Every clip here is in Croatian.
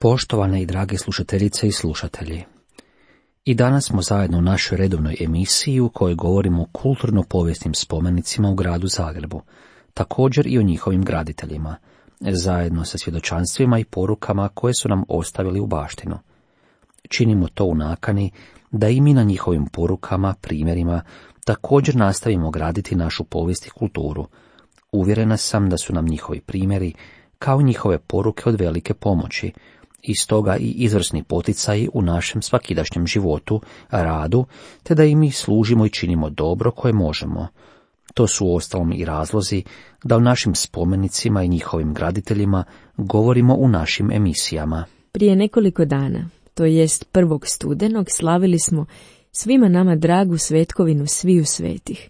Poštovane i drage slušateljice i slušatelji, i danas smo zajedno u našoj redovnoj emisiji u kojoj govorimo o kulturno-povijesnim spomenicima u gradu Zagrebu, također i o njihovim graditeljima, zajedno sa svjedočanstvima i porukama koje su nam ostavili u baštinu. Činimo to u nakani da i mi na njihovim porukama, primjerima, također nastavimo graditi našu povijest i kulturu. Uvjerena sam da su nam njihovi primjeri, kao njihove poruke, od velike pomoći, i stoga i izvrsni poticaji u našem svakidašnjem životu, radu, te da i mi služimo i činimo dobro koje možemo. To su uostalom i razlozi da o našim spomenicima i njihovim graditeljima govorimo u našim emisijama. Prije nekoliko dana, to jest 1. studenog, slavili smo svima nama dragu svetkovinu Sviju svetih,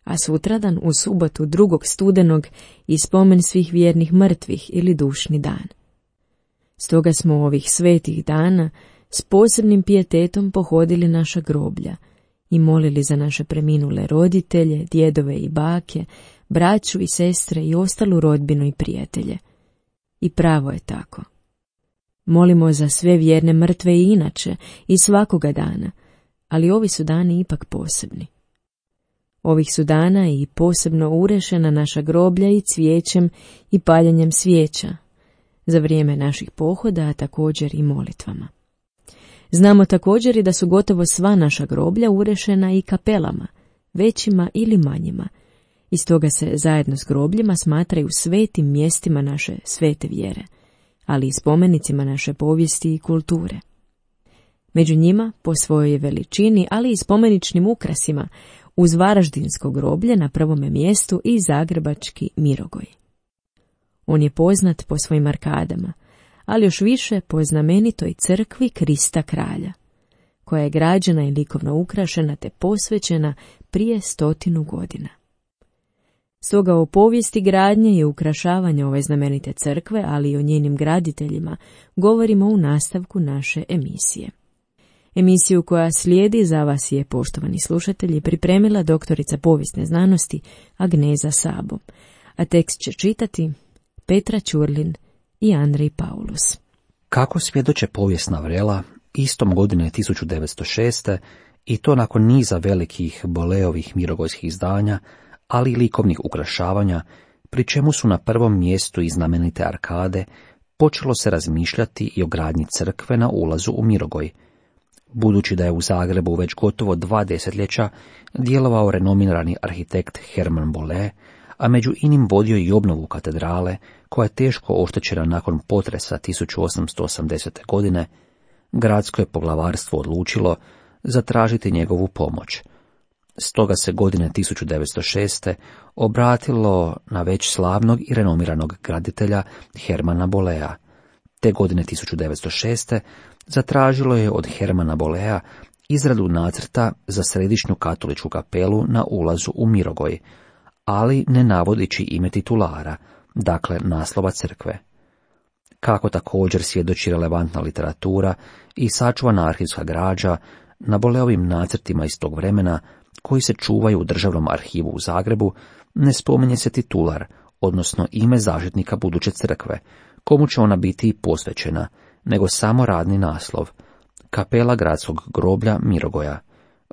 a sutradan u subotu 2. studenog i spomen svih vjernih mrtvih ili dušni dan. Stoga smo ovih svetih dana s posebnim pijetetom pohodili naša groblja i molili za naše preminule roditelje, djedove i bake, braću i sestre i ostalu rodbinu i prijatelje. I pravo je tako. Molimo za sve vjerne mrtve i inače i svakoga dana, ali ovi su dani ipak posebni. Ovih su dana i posebno urešena naša groblja i cvijećem i paljenjem svijeća, za vrijeme naših pohoda, a također i molitvama. Znamo također i da su gotovo sva naša groblja urešena i kapelama, većima ili manjima, i stoga se zajedno s grobljima smatraju svetim mjestima naše svete vjere, ali i spomenicima naše povijesti i kulture. Među njima, po svojoj veličini, ali i spomeničnim ukrasima, uz Varaždinsko groblje na prvome mjestu i zagrebački Mirogoj. On je poznat po svojim arkadama, ali još više po znamenitoj crkvi Krista kralja, koja je građena i likovno ukrašena te posvećena prije 100 godina. Stoga o povijesti gradnje i ukrašavanja ove znamenite crkve, ali i o njenim graditeljima, govorimo u nastavku naše emisije. Emisiju koja slijedi za vas je, poštovani slušatelji, pripremila doktorica povijesne znanosti Agneza Sabo, a tekst će čitati Petra Ćurlin i Andrej Paulus. Kako svjedoče povijesna vrela, istom godine 1906. i to nakon niza velikih Boleovih mirogojskih izdanja, ali i likovnih ukrašavanja, pri čemu su na prvom mjestu i znamenite arkade, počelo se razmišljati i o gradnji crkve na ulazu u Mirogoj. Budući da je u Zagrebu već gotovo 2 desetljeća djelovao renomirani arhitekt Herman Bolle, a među inim vodio i obnovu katedrale, koja je teško oštećena nakon potresa 1880. godine, gradsko je poglavarstvo odlučilo zatražiti njegovu pomoć. Stoga se godine 1906. obratilo na već slavnog i renomiranog graditelja Hermana Bollea. Te godine 1906. zatražilo je od Hermana Bollea izradu nacrta za središnju katoličku kapelu na ulazu u Mirogoj, ali ne navodići ime titulara, dakle naslova crkve. Kako također svjedoči relevantna literatura i sačuvana arhivska građa, na Bolleovim nacrtima iz tog vremena, koji se čuvaju u Državnom arhivu u Zagrebu, ne spominje se titular, odnosno ime zaštitnika buduće crkve, komu će ona biti posvećena, nego samo radni naslov, kapela gradskog groblja Mirogoja.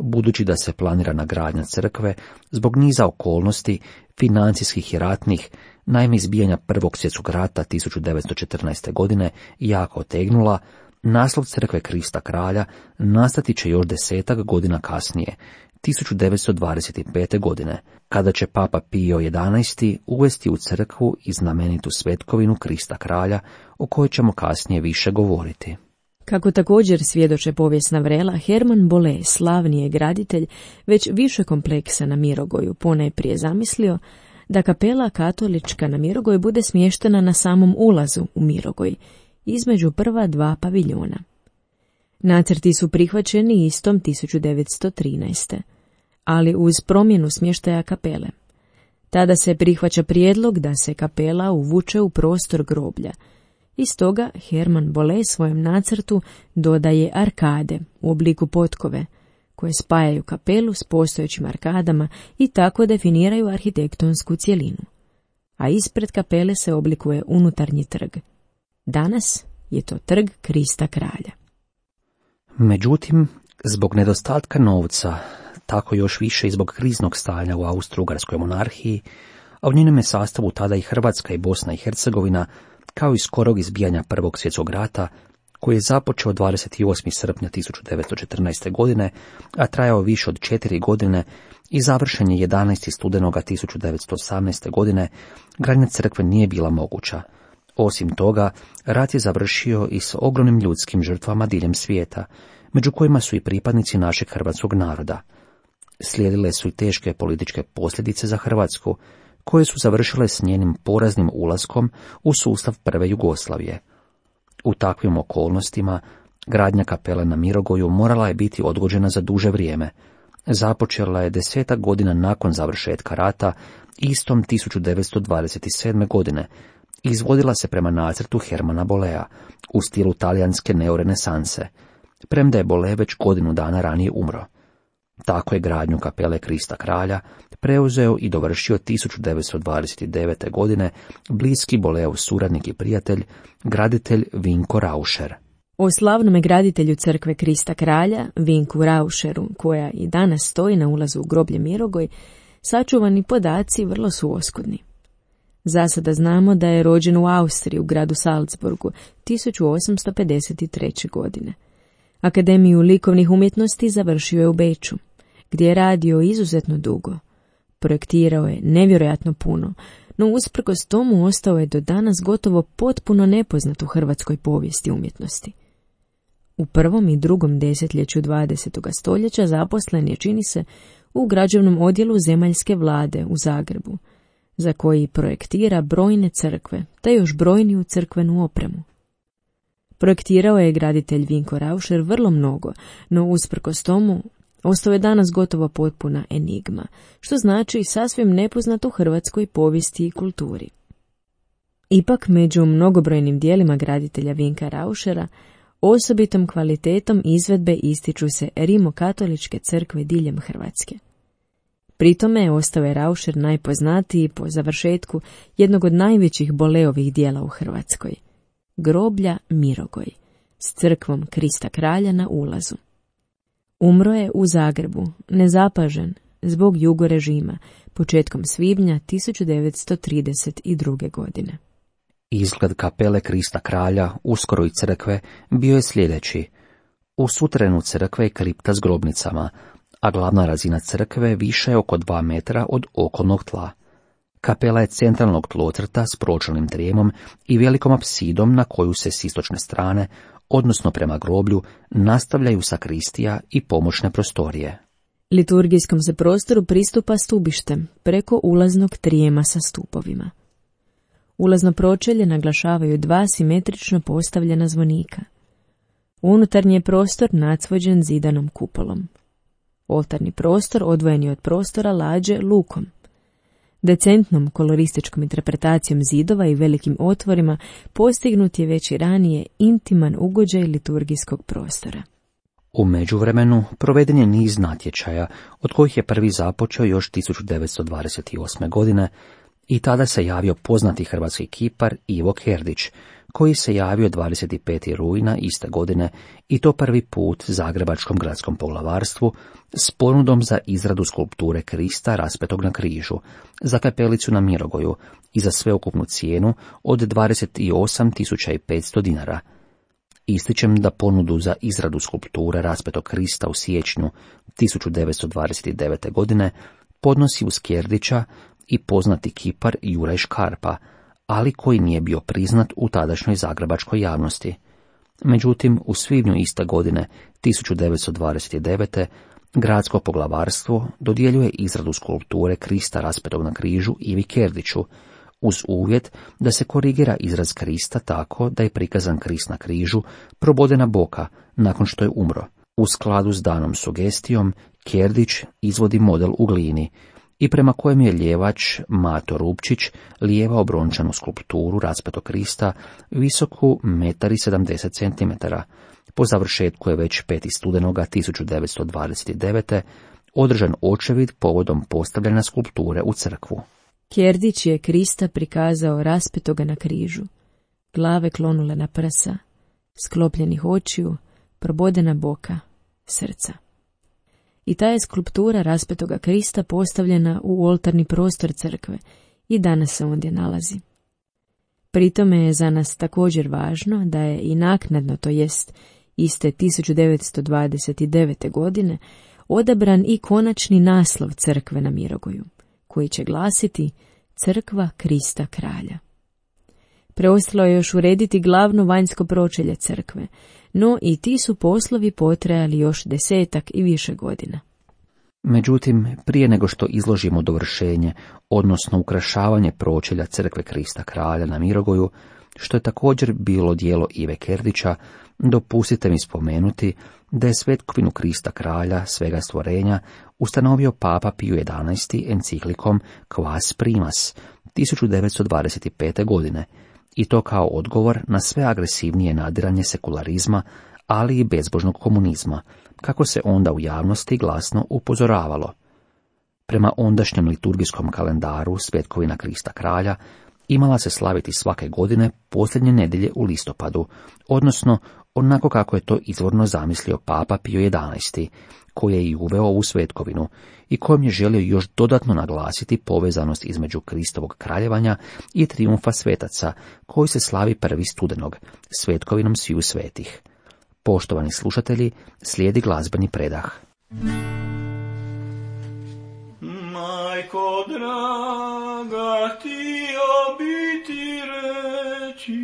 Budući da se planirana gradnja crkve zbog niza okolnosti, financijskih i ratnih, naime izbijanja Prvog svjetskog rata 1914. godine, jako otegnula, naslov crkve Krista kralja nastati će još 10 godina kasnije, 1925. godine, kada će Papa Pio XI uvesti u crkvu i znamenitu svetkovinu Krista kralja, o kojoj ćemo kasnije više govoriti. Kako također svjedoče povijesna vrela, Herman Bolle, slavni je graditelj već više kompleksa na Mirogoju, ponajprije zamislio da kapela katolička na Mirogoj bude smještena na samom ulazu u Mirogoj, između prva 2 paviljona. Nacrti su prihvaćeni istom 1913. ali uz promjenu smještaja kapele. Tada se prihvaća prijedlog da se kapela uvuče u prostor groblja. I stoga Herman Bolle svojem nacrtu dodaje arkade u obliku potkove, koje spajaju kapelu s postojećim arkadama i tako definiraju arhitektonsku cjelinu. A ispred kapele se oblikuje unutarnji trg. Danas je to trg Krista kralja. Međutim, zbog nedostatka novca, tako još više i zbog kriznog stanja u Austro-Ugarskoj monarhiji, a u njenome sastavu tada i Hrvatska i Bosna i Hercegovina, kao i skorog izbijanja Prvog svjetskog rata, koji je započeo 28. srpnja 1914. godine, a trajao više od 4 godine i završen je 11. studenoga 1918. godine, gradnja crkve nije bila moguća. Osim toga, rat je završio i s ogromnim ljudskim žrtvama diljem svijeta, među kojima su i pripadnici našeg hrvatskog naroda. Slijedile su i teške političke posljedice za Hrvatsku, koje su završile s njenim poraznim ulaskom u sustav prve Jugoslavije. U takvim okolnostima, gradnja kapele na Mirogoju morala je biti odgođena za duže vrijeme. Započela je 10 godina nakon završetka rata, istom 1927. godine, i izvodila se prema nacrtu Hermana Bollea, u stilu talijanske neorenesanse, premda je Bolle već godinu dana ranije umro. Tako je gradnju kapele Krista kralja preuzeo i dovršio 1929. godine bliski Bolleov suradnik i prijatelj, graditelj Vinko Rauscher. O slavnome graditelju crkve Krista kralja, Vinku Rauscheru, koja i danas stoji na ulazu u groblje Mirogoj, sačuvani podaci vrlo su oskudni. Zasada znamo da je rođen u Austriji, u gradu Salzburgu, 1853. godine. Akademiju likovnih umjetnosti završio je u Beču, gdje je radio izuzetno dugo. Projektirao je nevjerojatno puno, no usprkos tomu ostao je do danas gotovo potpuno nepoznat u hrvatskoj povijesti umjetnosti. U prvom i drugom desetljeću 20. stoljeća zaposlen je, čini se, u građevnom odjelu zemaljske vlade u Zagrebu, za koji projektira brojne crkve, te još brojniju crkvenu opremu. Projektirao je graditelj Vinko Rauscher vrlo mnogo, no usprkos tomu ostao je danas gotovo potpuna enigma, što znači sasvim nepoznat u hrvatskoj povijesti i kulturi. Ipak, među mnogobrojnim dijelima graditelja Vinka Rauschera, osobitom kvalitetom izvedbe ističu se rimokatoličke crkve diljem Hrvatske. Pritome ostao je Rauscher najpoznatiji po završetku jednog od najvećih Bolleovih dijela u Hrvatskoj, groblja Mirogoj, s crkvom Krista kralja na ulazu. Umro je u Zagrebu, nezapažen, zbog jugo režima, početkom svibnja 1932. godine. Izgled kapele Krista kralja, uskoro i crkve, bio je sljedeći. U suterenu crkve je kripta s grobnicama, a glavna razina crkve više je oko 2 metra od okolnog tla. Kapela je centralnog tlocrta s pročelnim trijemom i velikom apsidom na koju se s istočne strane, odnosno prema groblju, nastavljaju sakristija i pomoćne prostorije. Liturgijskom se prostoru pristupa stubištem preko ulaznog trijema sa stupovima. Ulazno pročelje naglašavaju 2 simetrično postavljena zvonika. Unutarnji je prostor nacvođen zidanom kupolom. Oltarni prostor odvojen je od prostora lađe lukom. Decentnom kolorističkom interpretacijom zidova i velikim otvorima postignut je već i ranije intiman ugođaj liturgijskog prostora. U međuvremenu proveden je niz natječaja, od kojih je prvi započeo još 1928. godine, i tada se javio poznati hrvatski kipar Ivo Kerdić, koji se javio 25. rujna iste godine, i to prvi put Zagrebačkom gradskom poglavarstvu s ponudom za izradu skulpture Krista raspetog na križu, za kapelicu na Mirogoju i za sveukupnu cijenu od 28.500 dinara. Ističem da ponudu za izradu skulpture raspetog Krista u siječnju 1929. godine podnosi uz Kerdića i poznati kipar Juraj Škarpa, ali koji nije bio priznat u tadašnjoj zagrebačkoj javnosti. Međutim, u svibnju iste godine, 1929. gradsko poglavarstvo dodjeljuje izradu skulpture Krista raspetog na križu Ivi Kerdiću, uz uvjet da se korigira izraz Krista tako da je prikazan Krist na križu probodena boka nakon što je umro. U skladu s danom sugestijom, Kerdić izvodi model u glini, i prema kojem je ljevač Mato Rupčić lijevao brončanu skulpturu raspetog Krista visoku 1,70 cm. Po završetku je već 5. studenoga 1929. održan očevid povodom postavljanja skulpture u crkvu. Kerdić je Krista prikazao raspetoga na križu, glave klonule na prsa, sklopljenih očiju, probodena boka, srca. I ta je skulptura raspetoga Krista postavljena u oltarni prostor crkve i danas se ondje nalazi. Pritome je za nas također važno da je i naknadno, to jest iste 1929. godine, odabran i konačni naslov crkve na Mirogoju, koji će glasiti Crkva Krista Kralja. Preostalo je još urediti glavno vanjsko pročelje crkve, no i ti su poslovi potrajali još 10 i više godina. Međutim, prije nego što izložimo dovršenje, odnosno ukrašavanje pročelja crkve Krista Kralja na Mirogoju, što je također bilo djelo Ive Kerdića, dopustite mi spomenuti da je svetkovinu Krista Kralja svega stvorenja ustanovio Papa Pio XI enciklikom Quas Primas 1925. godine, i to kao odgovor na sve agresivnije nadiranje sekularizma, ali i bezbožnog komunizma, kako se onda u javnosti glasno upozoravalo. Prema ondašnjem liturgijskom kalendaru svetkovina Krista Kralja imala se slaviti svake godine posljednje nedjelje u listopadu, odnosno onako kako je to izvorno zamislio Papa Pio XI, koji je i uveo ovu svetkovinu i kojom je želio još dodatno naglasiti povezanost između Kristovog kraljevanja i trijumfa svetaca, koji se slavi 1. studenog, svetkovinom sviju svetih. Poštovani slušatelji, slijedi glazbeni predah. Majko draga, htio bi ti reći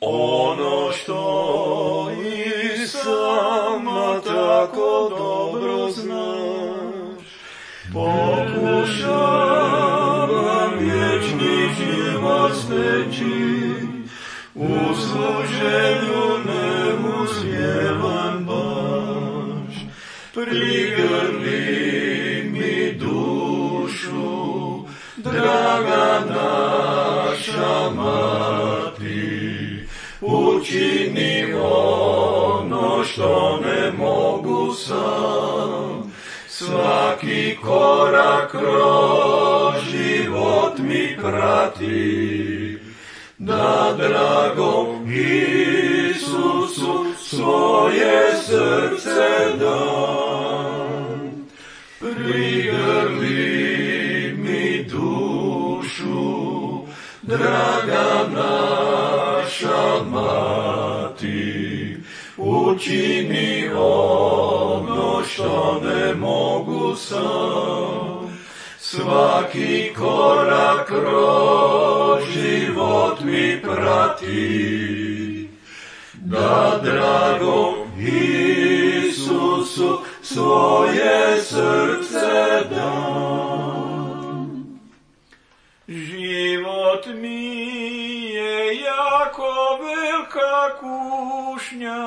ono što i sama tako dobro znaš. Pokušavam vječni život steći, u služenju ne uspjevam baš. Prigrli mi dušu, draga naša mati, učini ono što ne mogu sam. Svaki korak kroz život mi prati, da dragom Isusu svoje srce dam. Prigrli mi dušu, draga naša mati, učini ono što ne mogu sam. Svaki korak kroz život mi prati, da dragom Isusu svoje srce dam. Život mi je jako velika kušnja,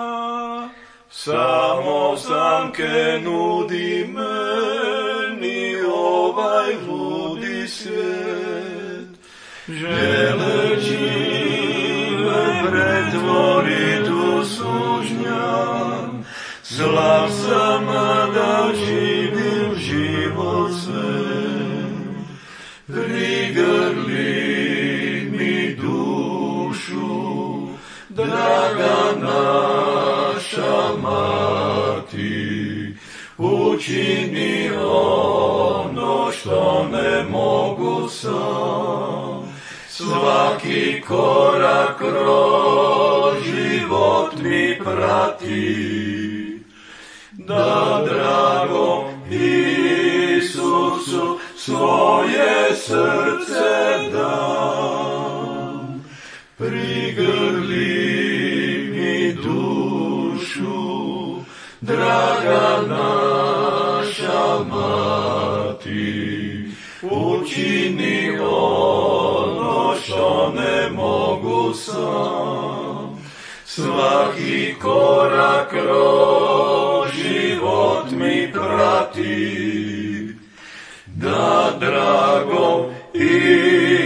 samo zamke nudi meni ovaj ludi svijet. Želeći me pretvorit u sužnjan, slav sam da živim život sve. Prigrli mi dušu, draga naša mati, učini ono što ne mogu sam. Svaki korak kroz život mi prati, da dragom Isusu svoje srce dam. Prigrli mi dušu, draga naša mati, učini ono što ne mogu sam. Svaki korak kroz život mi prati, da dragom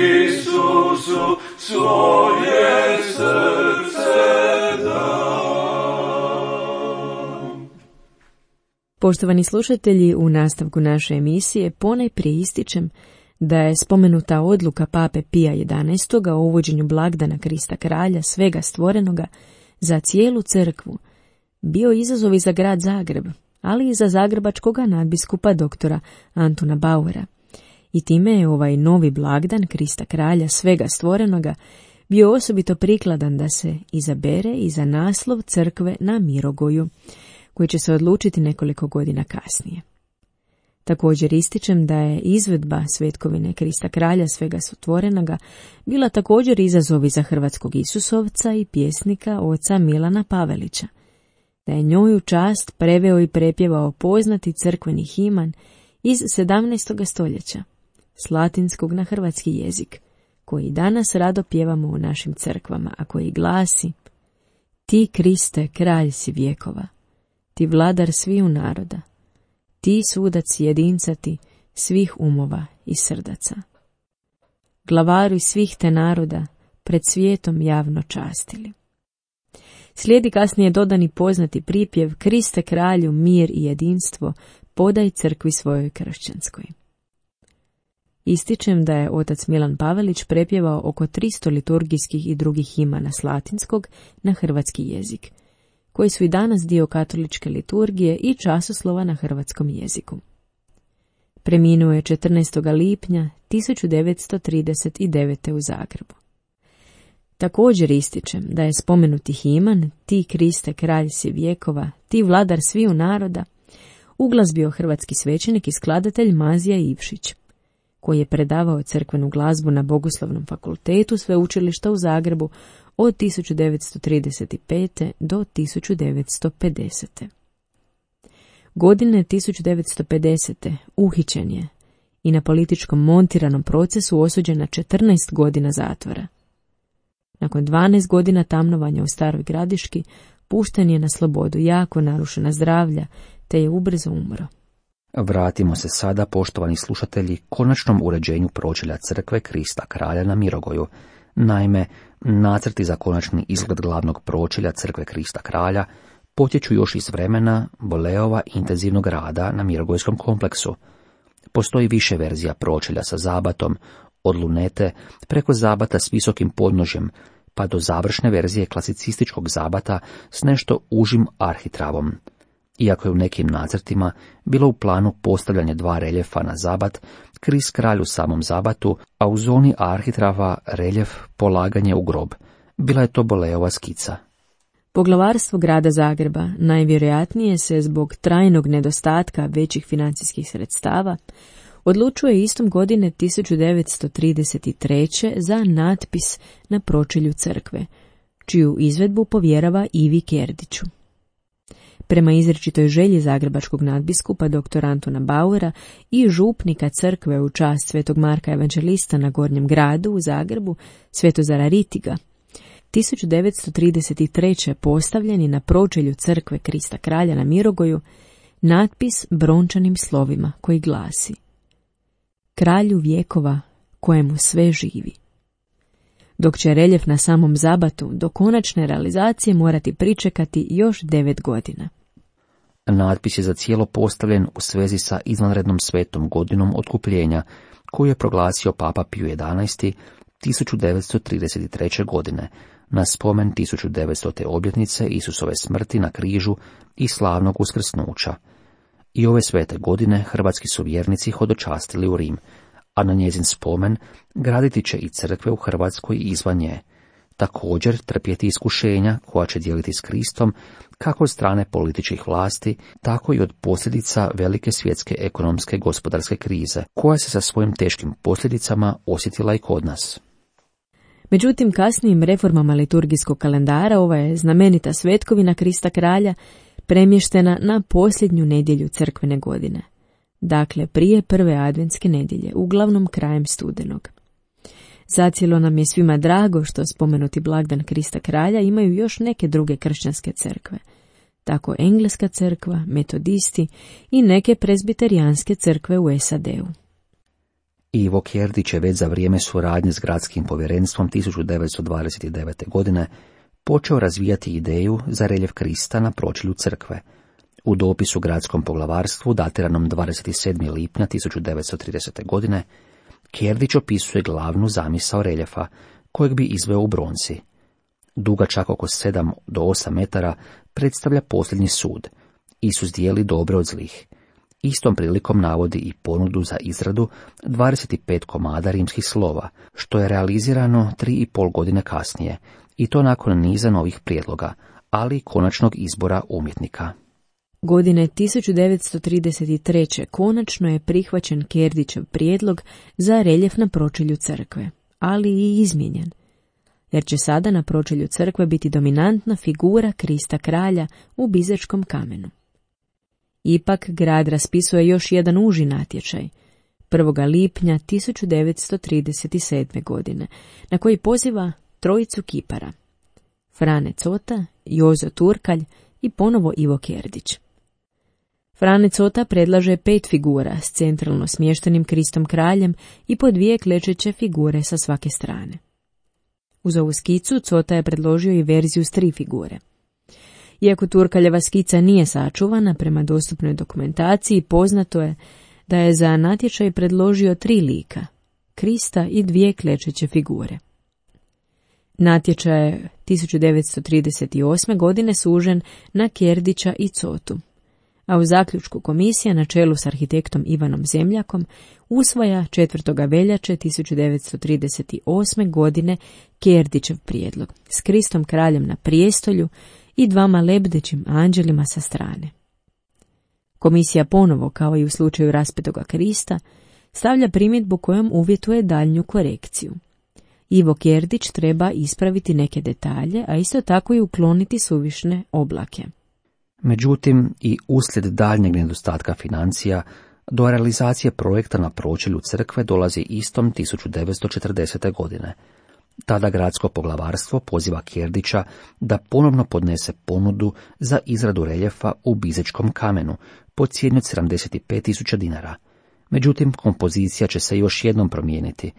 Isusu svoje srce dam. Poštovani slušatelji, u nastavku naše emisije ponajprije ističem da je spomenuta odluka Pape Pija XI o uvođenju blagdana Krista Kralja svega stvorenoga za cijelu crkvu bio izazov i za grad Zagreb, ali i za zagrebačkoga nadbiskupa doktora Antuna Bauera. I time je ovaj novi blagdan Krista kralja svega stvorenoga bio osobito prikladan da se izabere i za naslov crkve na Mirogoju, koji će se odlučiti nekoliko godina kasnije. Također ističem da je izvedba svetkovine Krista kralja svega stvorenoga bila također izazovi za hrvatskog Isusovca i pjesnika oca Milana Pavelića, da je njoj u čast preveo i prepjevao poznati crkveni himan iz 17. stoljeća, s latinskog na hrvatski jezik, koji danas rado pjevamo u našim crkvama, a koji glasi: Ti, Kriste, kralj si vjekova, ti vladar sviju naroda, ti sudac jedincati svih umova i srdaca. Glavaru svih te naroda pred svijetom javno častili. Slijedi kasnije dodani poznati pripjev: Kriste kralju, mir i jedinstvo, podaj crkvi svojoj kršćanskoj. Ističem da je otac Milan Pavelić prepjevao oko 300 liturgijskih i drugih himana s latinskog na hrvatski jezik, koji su i danas dio katoličke liturgije i časoslova na hrvatskom jeziku. Preminuo je 14. lipnja 1939. u Zagrebu. Također ističem da je spomenuti himan Ti, Kriste, kralj si vjekova, ti vladar sviju naroda uglazbio hrvatski svećenik i skladatelj Mazija Ivšić, koji je predavao crkvenu glazbu na Bogoslovnom fakultetu Sveučilišta u Zagrebu od 1935. do 1950. Godine 1950. uhićen je i na političkom montiranom procesu osuđen na 14 godina zatvora. Nakon 12 godina tamnovanja u Staroj Gradiški pušten je na slobodu, jako narušena zdravlja, te je ubrzo umro. Vratimo se sada, poštovani slušatelji, konačnom uređenju pročelja crkve Krista kralja na Mirogoju. Naime, nacrti za konačni izgled glavnog pročelja crkve Krista kralja potječu još iz vremena Boleova intenzivnog rada na Mirogojskom kompleksu. Postoji više verzija pročelja sa zabatom, od lunete preko zabata s visokim podnožjem, pa do završne verzije klasicističkog zabata s nešto užim arhitravom. Iako je u nekim nacrtima bilo u planu postavljanje 2 reljefa na zabat, Krist kralj u samom zabatu, a u zoni arhitrava reljef polaganje u grob. Bila je to Boleova skica. Poglavarstvo grada Zagreba najvjerojatnije se zbog trajnog nedostatka većih financijskih sredstava odlučuje istom godine 1933. za natpis na pročelju crkve, čiju izvedbu povjerava Ivi Kerdiću. Prema izričitoj želji zagrebačkog nadbiskupa dr. Antuna Bauera i župnika crkve u čast svetog Marka Evanđelista na Gornjem gradu u Zagrebu, Svetozara Ritiga, 1933. postavljen je na pročelju crkve Krista kralja na Mirogoju natpis brončanim slovima koji glasi: Kralju vjekova kojemu sve živi. Dok će reljef na samom zabatu do konačne realizacije morati pričekati još 9 godina. Natpis je za cijelo postavljen u svezi sa izvanrednom svetom godinom otkupljenja, koju je proglasio Papa Pio XI 1933. godine, na spomen 1900. obljetnice Isusove smrti na križu i slavnog uskrsnuća. I ove svete godine hrvatski su vjernici hodočastili u Rim, a na njezin spomen graditi će i crkve u Hrvatskoj i izvan nje. Također trpjeti iskušenja koja će dijeliti s Kristom kako od strane političkih vlasti, tako i od posljedica velike svjetske ekonomske gospodarske krize, koja se sa svojim teškim posljedicama osjetila i kod nas. Međutim, kasnijim reformama liturgijskog kalendara ova je znamenita svetkovina Krista kralja premještena na posljednju nedjelju crkvene godine, dakle prije prve adventske nedjelje, uglavnom krajem studenog. Zacijelo nam je svima drago što spomenuti blagdan Krista kralja imaju još neke druge kršćanske crkve, tako Engleska crkva, metodisti i neke prezbiterijanske crkve u SAD-u. Ivo Kerdić je već za vrijeme suradnje s gradskim povjerenstvom 1929. godine počeo razvijati ideju za reljef Krista na pročelju crkve. U dopisu gradskom poglavarstvu datiranom 27. lipnja 1930. godine Kerdić opisuje glavnu zamisao reljefa, kojeg bi izveo u bronci. duga čak oko 7 do 8 metara, predstavlja posljednji sud. Isus dijeli dobre od zlih. Istom prilikom navodi i ponudu za izradu 25 komada rimskih slova, što je realizirano 3,5 godine kasnije, i to nakon niza novih prijedloga, ali i konačnog izbora umjetnika. Godine 1933. konačno je prihvaćen Kerdićev prijedlog za reljef na pročelju crkve, ali i izmijenjen, jer će sada na pročelju crkve biti dominantna figura Krista kralja u bizačkom kamenu. Ipak grad raspisuje još jedan uži natječaj, 1. lipnja 1937. godine, na koji poziva trojicu kipara, Frane Cota, Jozo Turkalj i ponovo Ivo Kerdić. Frane Cota predlaže 5 figura s centralno smještenim Kristom kraljem i po 2 klečeće figure sa svake strane. Uz ovu skicu Cota je predložio i verziju s 3 figure. Iako Turkaljeva skica nije sačuvana, prema dostupnoj dokumentaciji poznato je da je za natječaj predložio 3 lika, Krista i 2 klečeće figure. Natječaj je 1938. godine sužen na Kerdića i Cotu, a u zaključku komisija na čelu s arhitektom Ivanom Zemljakom usvaja 4. veljače 1938. godine Kerdićev prijedlog s Kristom kraljem na prijestolju i 2 lebdećim anđelima sa strane. Komisija ponovo, kao i u slučaju raspetoga Krista, stavlja primjedbu kojom uvjetuje daljnju korekciju. Ivo Kerdić treba ispraviti neke detalje, a isto tako i ukloniti suvišne oblake. Međutim, i uslijed daljnjeg nedostatka financija, do realizacije projekta na pročelju crkve dolazi istom 1940. godine. Tada gradsko poglavarstvo poziva Kerdića da ponovno podnese ponudu za izradu reljefa u bizačkom kamenu po cijeni od 75.000 dinara. Međutim, kompozicija će se još jednom promijeniti,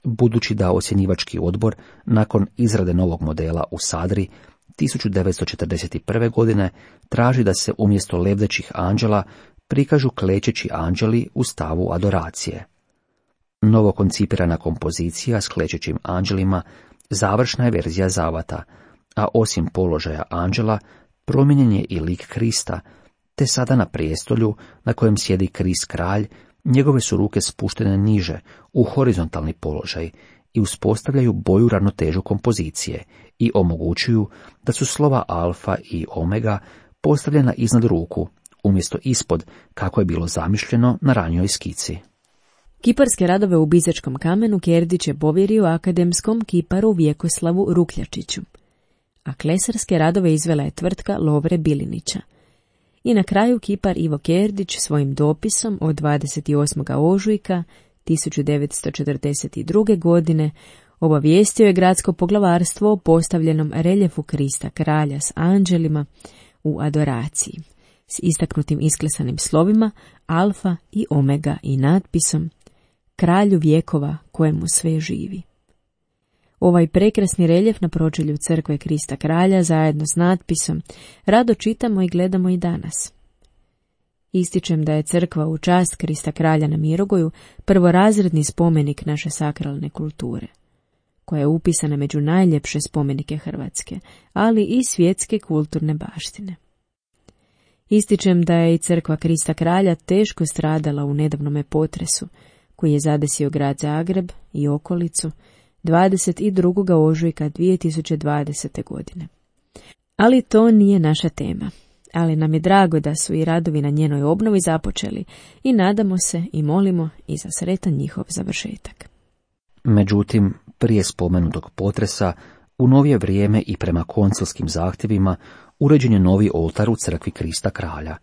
budući da ocjenjivački odbor nakon izrade novog modela u Sadri 1941. godine traži da se umjesto lebdećih anđela prikažu klečeći anđeli u stavu adoracije. Novo koncipirana kompozicija s klečećim anđelima završna je verzija zavata, a osim položaja anđela promijenjen je i lik Krista, te sada na prijestolju na kojem sjedi Krist kralj, njegove su ruke spuštene niže u horizontalni položaj i uspostavljaju bolju ravnotežu kompozicije i omogućuju da su slova alfa i omega postavljena iznad ruku, umjesto ispod kako je bilo zamišljeno na ranijoj skici. Kiparske radove u bizačkom kamenu Kerdić je povjerio akademskom kiparu Vjekoslavu Rukljačiću, a klesarske radove izvela je tvrtka Lovre Bilinića. I na kraju kipar Ivo Kerdić svojim dopisom od 28. ožujka 1942. godine obavijestio je gradsko poglavarstvo o postavljenom reljefu Krista kralja s anđelima u adoraciji, s istaknutim isklesanim slovima alfa i omega i natpisom Kralju vjekova kojemu sve živi. Ovaj prekrasni reljef na pročelju crkve Krista kralja zajedno s natpisom rado čitamo i gledamo i danas. Ističem da je crkva u čast Krista kralja na Mirogoju prvorazredni spomenik naše sakralne kulture, koja je upisana među najljepše spomenike Hrvatske, ali i svjetske kulturne baštine. Ističem da je i crkva Krista kralja teško stradala u nedavnome potresu, koji je zadesio grad Zagreb i okolicu 22. ožujka 2020. godine. Ali to nije naša tema. Ali nam je drago da su i radovi na njenoj obnovi započeli i nadamo se i molimo i za sretan njihov završetak. Međutim, prije spomenutog potresa, u novije vrijeme i prema koncilskim zahtjevima uređen je novi oltar u crkvi Krista kralja.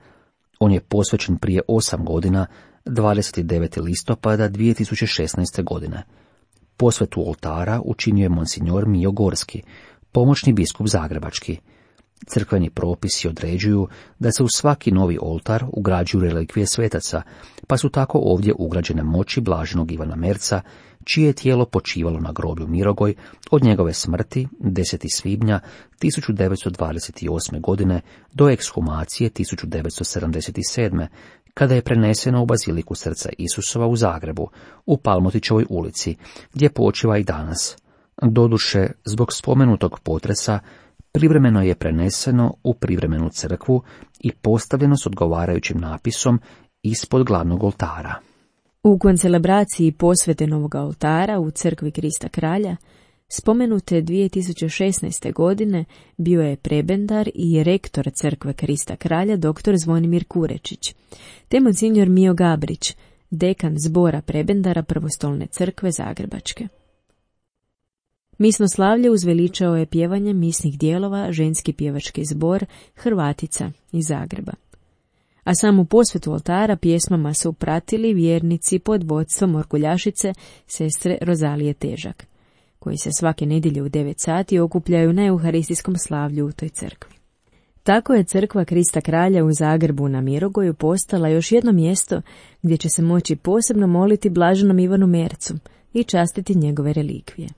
On je posvećen prije 8 godina, 29. listopada 2016. godine. Posvetu oltara učinio je monsignor Mijo Gorski, pomoćni biskup zagrebački. Crkveni propisi određuju da se u svaki novi oltar ugrađuju relikvije svetaca, pa su tako ovdje ugrađene moći blaženog Ivana Merca, čije je tijelo počivalo na groblju Mirogoj od njegove smrti 10. svibnja 1928. godine do ekshumacije 1977. kada je preneseno u Baziliku Srca Isusova u Zagrebu, u Palmotićevoj ulici, gdje počiva i danas. Doduše, zbog spomenutog potresa, privremeno je preneseno u privremenu crkvu i postavljeno s odgovarajućim napisom ispod glavnog oltara. U koncelebraciji posvete novog oltara u crkvi Krista Kralja spomenute 2016. godine bio je prebendar i rektor crkve Krista Kralja dr. Zvonimir Kurečić, te monsignor Mio Gabrić, dekan zbora prebendara Prvostolne crkve Zagrebačke. Misno slavlje uzveličao je pjevanje misnih dijelova ženski pjevački zbor Hrvatica iz Zagreba. A samu posvetu oltara pjesmama su pratili vjernici pod vodstvom orguljašice sestre Rozalije Težak, koji se svake nedjelje u 9 sati okupljaju na euharistijskom slavlju u toj crkvi. Tako je crkva Krista Kralja u Zagrebu na Mirogoju postala još jedno mjesto gdje će se moći posebno moliti blaženom Ivanu Mercu i častiti njegove relikvije.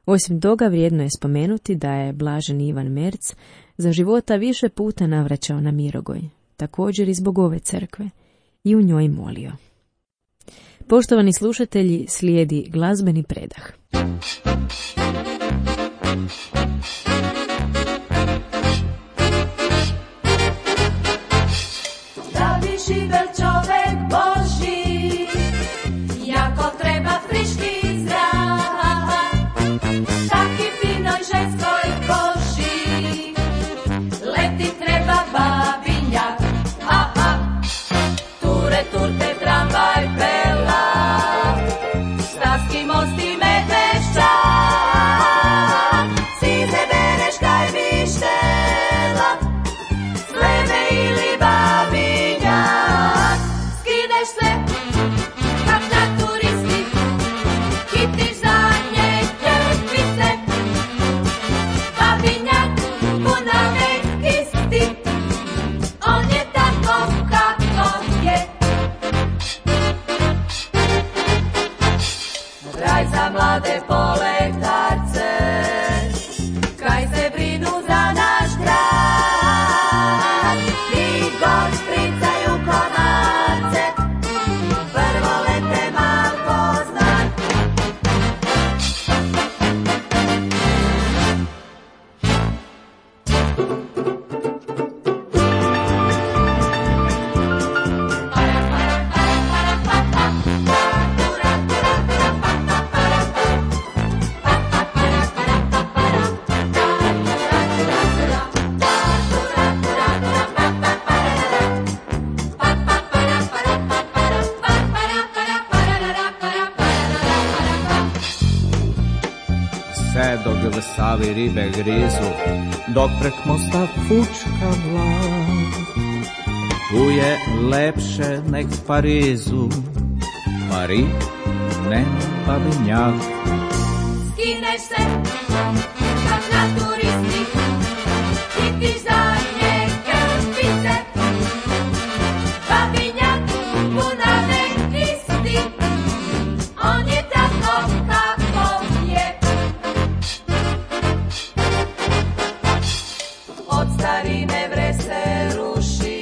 Osim toga, vrijedno je spomenuti da je blaženi Ivan Merc za života više puta navraćao na Mirogoj, također i zbog ove crkve, i u njoj molio. Poštovani slušatelji, slijedi glazbeni predah. Da bi živel čovek Božji, jako treba friški zrak, taki finoj ženskoj koži, leti treba babinjak, ture turte tramvaj pela, Stavski most i Medveščak, size Bereška i Vištela, Sleme ili babinjak, skineš se kak na turisti, hitiš zadnje krpice, babinjak punave isti, on je tako kako je. Raj za mlade poletarce, kaj se brinu za naš grad, i god špricaju komarce, prvo lete Marko znak. Sve dok v Savi ribe grizu, dok prek mosta fučka vlak. Tu je lepše nek v Parizu, Pari, ne babinjak. Skineš se kak na turisti, hitiš zadnje krpice, babinjak punave isti, on je tako kako je. Od starine vre se ruši,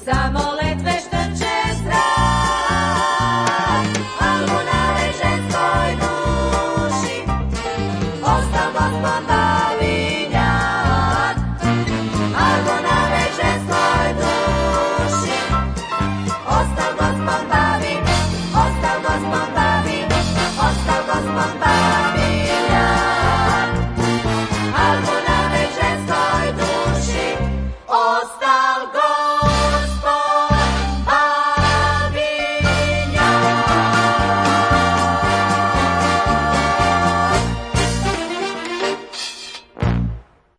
samo letve štrče zrak, albunave ženskoj duši, ostal gospon babinjak, albunave ženskoj duši, ostal gospon babinjak, ostal gospon babinjak, ostal gospon babinjak, albunave ženskoj duši, ostal gospon babinjak.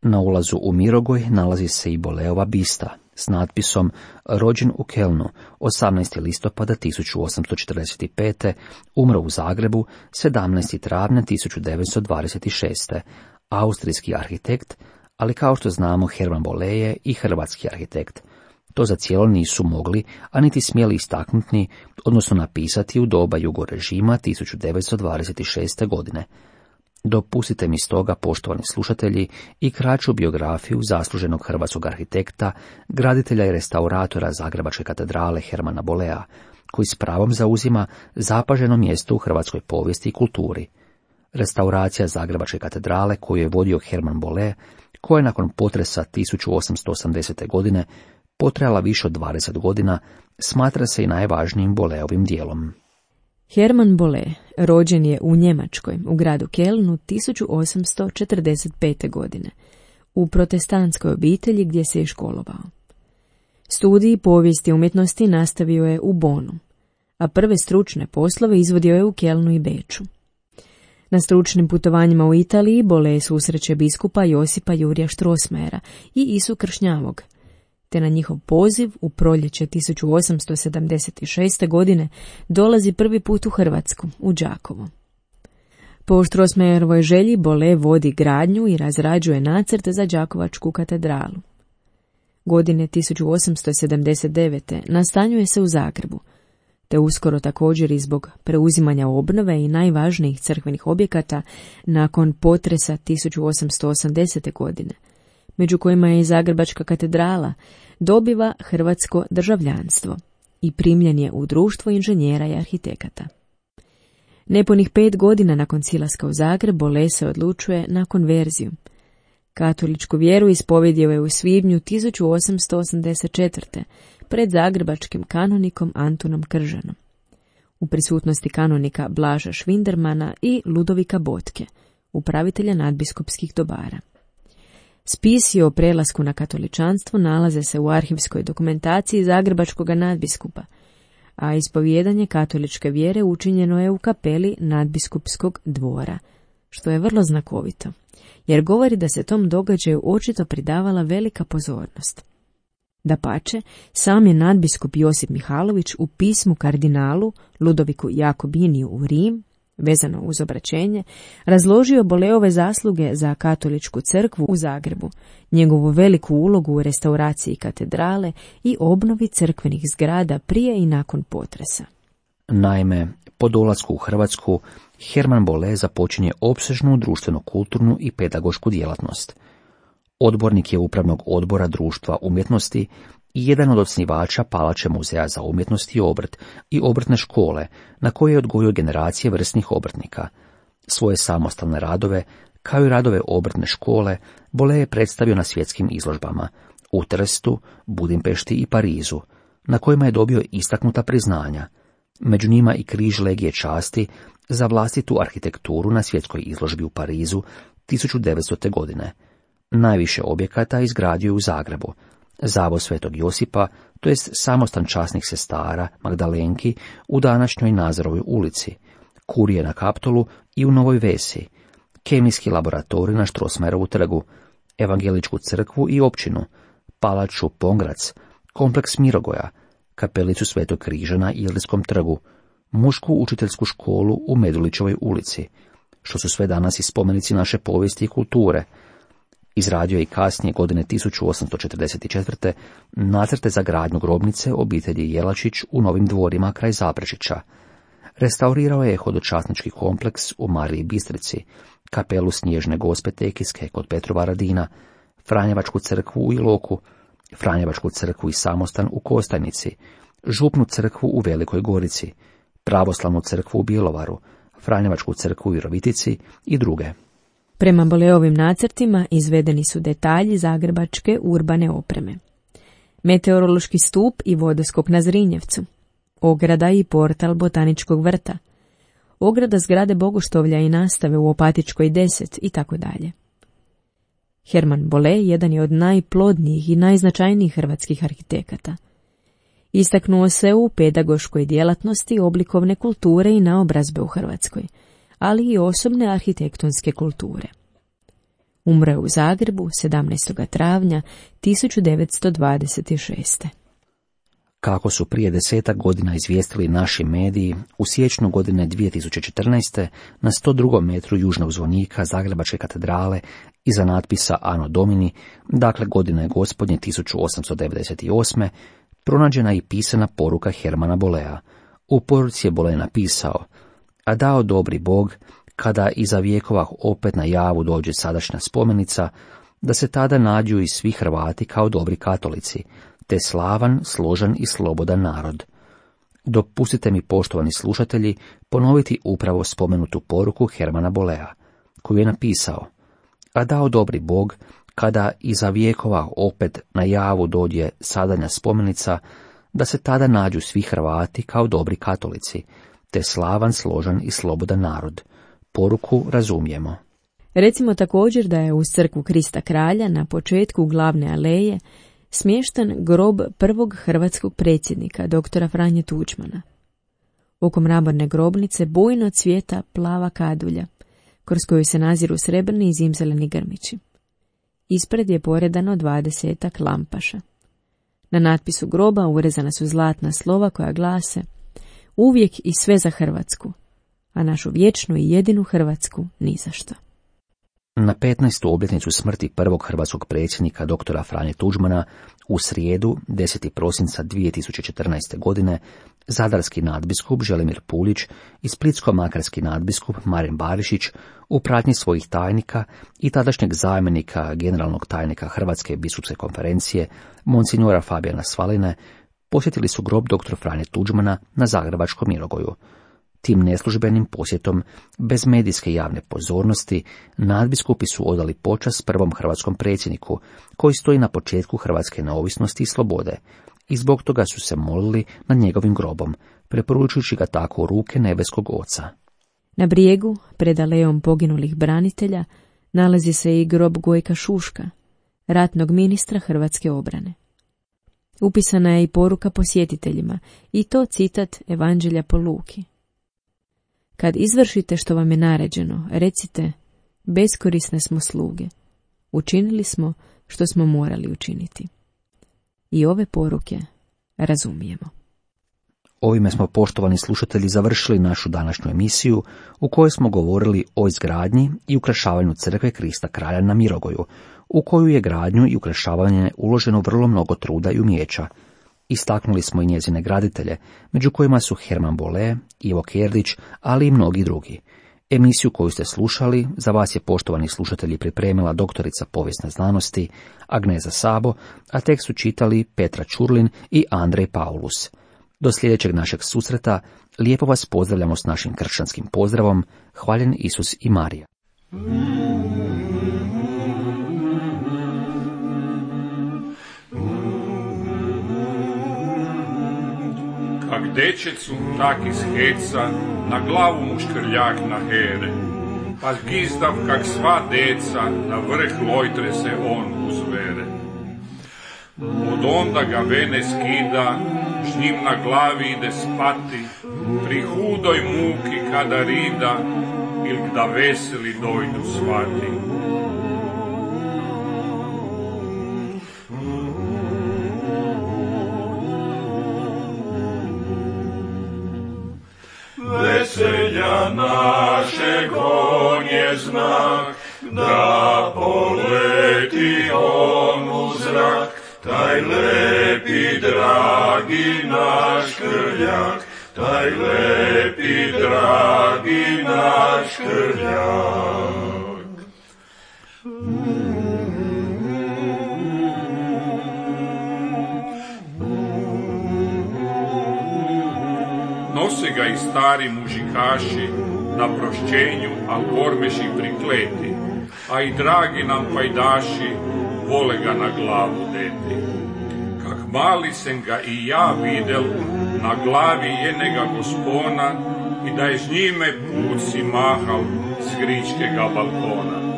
Na ulazu u Mirogoj nalazi se i Boleova bista s natpisom rođen u Kelnu 18. listopada 1845. umro u Zagrebu 17. travnja 1926. Austrijski arhitekt, ali kao što znamo Herman Bolle je i hrvatski arhitekt. To za cijelo nisu mogli, a niti smjeli istaknuti, odnosno napisati u doba jugorežima 1926. godine. Dopustite mi stoga, poštovani slušatelji, i kraću biografiju zasluženog hrvatskog arhitekta, graditelja i restauratora Zagrebačke katedrale Hermana Bollea, koji s pravom zauzima zapaženo mjesto u hrvatskoj povijesti i kulturi. Restauracija Zagrebačke katedrale koju je vodio Herman Bolle, koja je nakon potresa 1880. godine potrajala više od 20 godina, smatra se i najvažnijim Bolleovim dijelom. Herman Bolle rođen je u Njemačkoj, u gradu Kelnu 1845. godine, u protestantskoj obitelji gdje se je školovao. Studij povijesti umjetnosti nastavio je u Bonu, a prve stručne poslove izvodio je u Kelnu i Beču. Na stručnim putovanjima u Italiji Bolle susreće biskupa Josipa Jurija Strossmayera i Isu Kršnjavog, te na njihov poziv u proljeće 1876. godine dolazi prvi put u Hrvatsku, u Đakovo. Po Strossmayerovoj želji Bolle vodi gradnju i razrađuje nacrt za Đakovačku katedralu. Godine 1879. nastanjuje se u Zagrebu, te uskoro također i zbog preuzimanja obnove i najvažnijih crkvenih objekata nakon potresa 1880. godine, među kojima je i Zagrebačka katedrala, dobiva hrvatsko državljanstvo i primljen je u društvo inženjera i arhitekata. Nepunih 5 godina nakon silaska u Zagreb, Bolle se odlučuje na konverziju. Katoličku vjeru ispovjedio je u svibnju 1884. pred zagrebačkim kanonikom Antunom Kržanom, u prisutnosti kanonika Blaža Švindermana i Ludovika Botke, upravitelja nadbiskupskih dobara. Spisi o prelasku na katoličanstvo nalaze se u arhivskoj dokumentaciji zagrebačkog nadbiskupa, a ispovijedanje katoličke vjere učinjeno je u kapeli nadbiskupskog dvora, što je vrlo znakovito, jer govori da se tom događaju očito pridavala velika pozornost. Dapače, sam je nadbiskup Josip Mihalović u pismu kardinalu Ludoviku Jakobiniju u Rim, vezano uz obraćenje, razložio Bolleove zasluge za katoličku crkvu u Zagrebu, njegovu veliku ulogu u restauraciji katedrale i obnovi crkvenih zgrada prije i nakon potresa. Naime, po dolasku u Hrvatsku, Herman Bolle započinje opsežnu društveno-kulturnu i pedagošku djelatnost. Odbornik je upravnog odbora Društva umjetnosti i jedan od osnivača Palače muzeja za umjetnost i obrt i obrtne škole, na koje je odgojio generacije vrsnih obrtnika. Svoje samostalne radove, kao i radove obrtne škole, Bolle je predstavio na svjetskim izložbama u Trstu, Budimpešti i Parizu, na kojima je dobio istaknuta priznanja, među njima i križ Legije časti za vlastitu arhitekturu na svjetskoj izložbi u Parizu 1900. godine. Najviše objekata izgradio je u Zagrebu, zavod Svetog Josipa, to jest samostan časnih sestara Magdalenki u današnjoj Nazorovoj ulici, kurije na Kaptolu i u Novoj Vesi, kemijski laboratorij na Strossmayerovu trgu, evangeličku crkvu i općinu, palaču Pongrac, kompleks Mirogoja, kapelicu Svetog križa na Ilskom trgu, mušku učiteljsku školu u Medulićevoj ulici, što su sve danas i spomenici naše povijesti i kulture. Izradio je i kasnije godine 1844. nacrte za gradnju grobnice obitelji Jelačić u Novim dvorima kraj Zaprešića. Restaurirao je hodočasnički kompleks u Mariji Bistrici, kapelu Snježne Gospe Tekiske kod Petrova Radina, Franjevačku crkvu u Iloku, Franjevačku crkvu i samostan u Kostajnici, Župnu crkvu u Velikoj Gorici, Pravoslavnu crkvu u Bjelovaru, Franjevačku crkvu u Virovitici i druge. Prema Bolleovim nacrtima izvedeni su detalji zagrebačke urbane opreme. Meteorološki stup i vodoskop na Zrinjevcu, ograda i portal Botaničkog vrta, ograda zgrade Bogoštovlja i nastave u Opatičkoj 10 i tako dalje. Herman Bolle jedan je od najplodnijih i najznačajnijih hrvatskih arhitekata. Istaknuo se u pedagoškoj djelatnosti oblikovne kulture i naobrazbe u Hrvatskoj, ali i osobne arhitektonske kulture. Umro je u Zagrebu 17. travnja 1926. Kako su prije 10 godina izvijestili naši mediji, u siječnju godine 2014. na 102. metru južnog zvonika Zagrebačke katedrale iza natpisa Anno Domini, dakle godine gospodnje 1898. pronađena je i pisana poruka Hermana Bollea. U poruci je Bolle napisao: a dao dobri Bog, kada iza vjekova opet na javu dođe sadašnja spomenica, da se tada nađu i svi Hrvati kao dobri katolici, te slavan, složan i slobodan narod. Dopustite mi, poštovani slušatelji, ponoviti upravo spomenutu poruku Hermana Bollea, koju je napisao: a dao dobri Bog, kada iza vijekova opet na javu dođe sadanja spomenica, da se tada nađu svi Hrvati kao dobri katolici, te slavan, složan i slobodan narod. Poruku razumijemo. Recimo također da je uz crkvu Krista Kralja na početku glavne aleje smješten grob prvog hrvatskog predsjednika, doktora Franje Tuđmana. Oko mramorne grobnice bujno cvijeta plava kadulja, kroz koju se naziru srebrni i zimzeleni grmići. Ispred je poredano 20 lampaša. Na natpisu groba urezana su zlatna slova koja glase: uvijek i sve za Hrvatsku, a našu vječnu i jedinu Hrvatsku ni za što. Na 15. obljetnicu smrti prvog hrvatskog predsjednika doktora Franje Tuđmana u srijedu 10. prosinca 2014. godine zadarski nadbiskup Želimir Pulić i splitsko-makarski nadbiskup Marin Barišić u pratnji svojih tajnika i tadašnjeg zamjenika generalnog tajnika Hrvatske biskupske konferencije monsignora Fabijana Svaline posjetili su grob doktora Franje Tuđmana na zagrebačkom Mirogoju. Tim neslužbenim posjetom, bez medijske javne pozornosti, nadbiskupi su odali počast prvom hrvatskom predsjedniku, koji stoji na početku hrvatske neovisnosti i slobode, i zbog toga su se molili nad njegovim grobom, preporučujući ga tako u ruke nebeskog Oca. Na brijegu, pred alejom poginulih branitelja, nalazi se i grob Gojka Šuška, ratnog ministra hrvatske obrane. Upisana je i poruka posjetiteljima, i to citat Evanđelja po Luki. Kad izvršite što vam je naređeno, recite: beskorisne smo sluge, učinili smo što smo morali učiniti. I ove poruke razumijemo. Ovime smo, poštovani slušatelji, završili našu današnju emisiju u kojoj smo govorili o izgradnji i ukrašavanju crkve Krista Kralja na Mirogoju, u koju je gradnju i ukrašavanje uloženo vrlo mnogo truda i umijeća. Istaknuli smo i njezine graditelje, među kojima su Herman Bolle, Ivo Kerdić, ali i mnogi drugi. Emisiju koju ste slušali za vas je, poštovani slušatelji, pripremila doktorica povijesne znanosti Agneza Sabo, a tekst su čitali Petra Čurlin i Andrej Paulus. Do sljedećeg našeg susreta lijepo vas pozdravljamo s našim kršćanskim pozdravom: hvaljen Isus i Marija. Kak dečecu, tak iz heca, na glavu mu škrljak na here, pa gizdav kak sva deca, na vrh lojtre se on uzvere. Od onda ga vene skida, s njim na glavi ide spati, pri hudoj muki kada rida, il da veseli dojdu svati. Veselja našeg on je znak, da poleti on u zrak, taj lepi dragi naš krljak, taj lepi dragi naš krljak. Nose ga i stari mužikaši, na prošćenju, al gormeši prikleti, a i dragi nam pajdaši, vole ga na glavu deti. Kak mali sam ga i ja videl, na glavi jenega gospona, i da je s njime put si mahal s gričkega balkona.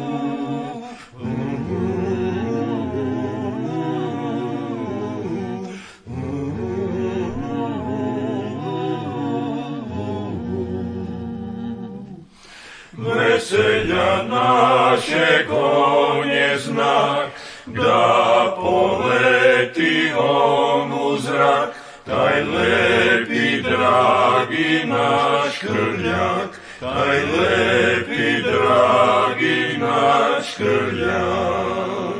Veselja našeg on je znak, da poleti on u zrak, taj lepi dragi naš krljak, taj lepi dragi naš krljak.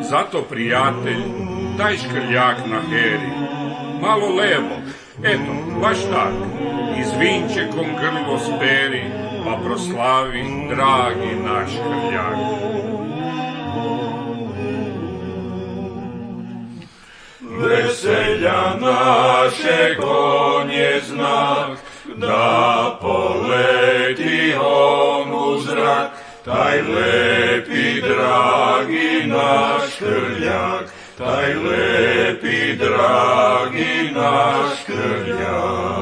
Zato, prijatelj, daj škrljak na heri, malo levo, eto, baš tak, i s vinčekom grlo speri, pa proslavi dragi naš krljak. veselja našeg on je znak, da poleti on u zrak, taj lepi dragi naš Krljak, taj lepi dragi naš Krljak.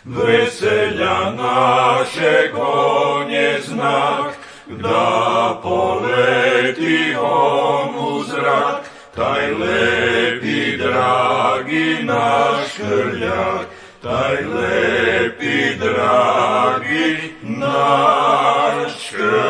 Veselja našeg on je znak, da poleti on u zrak, taj lepi dragi naš Krljak, taj lepi dragi naš Krljak.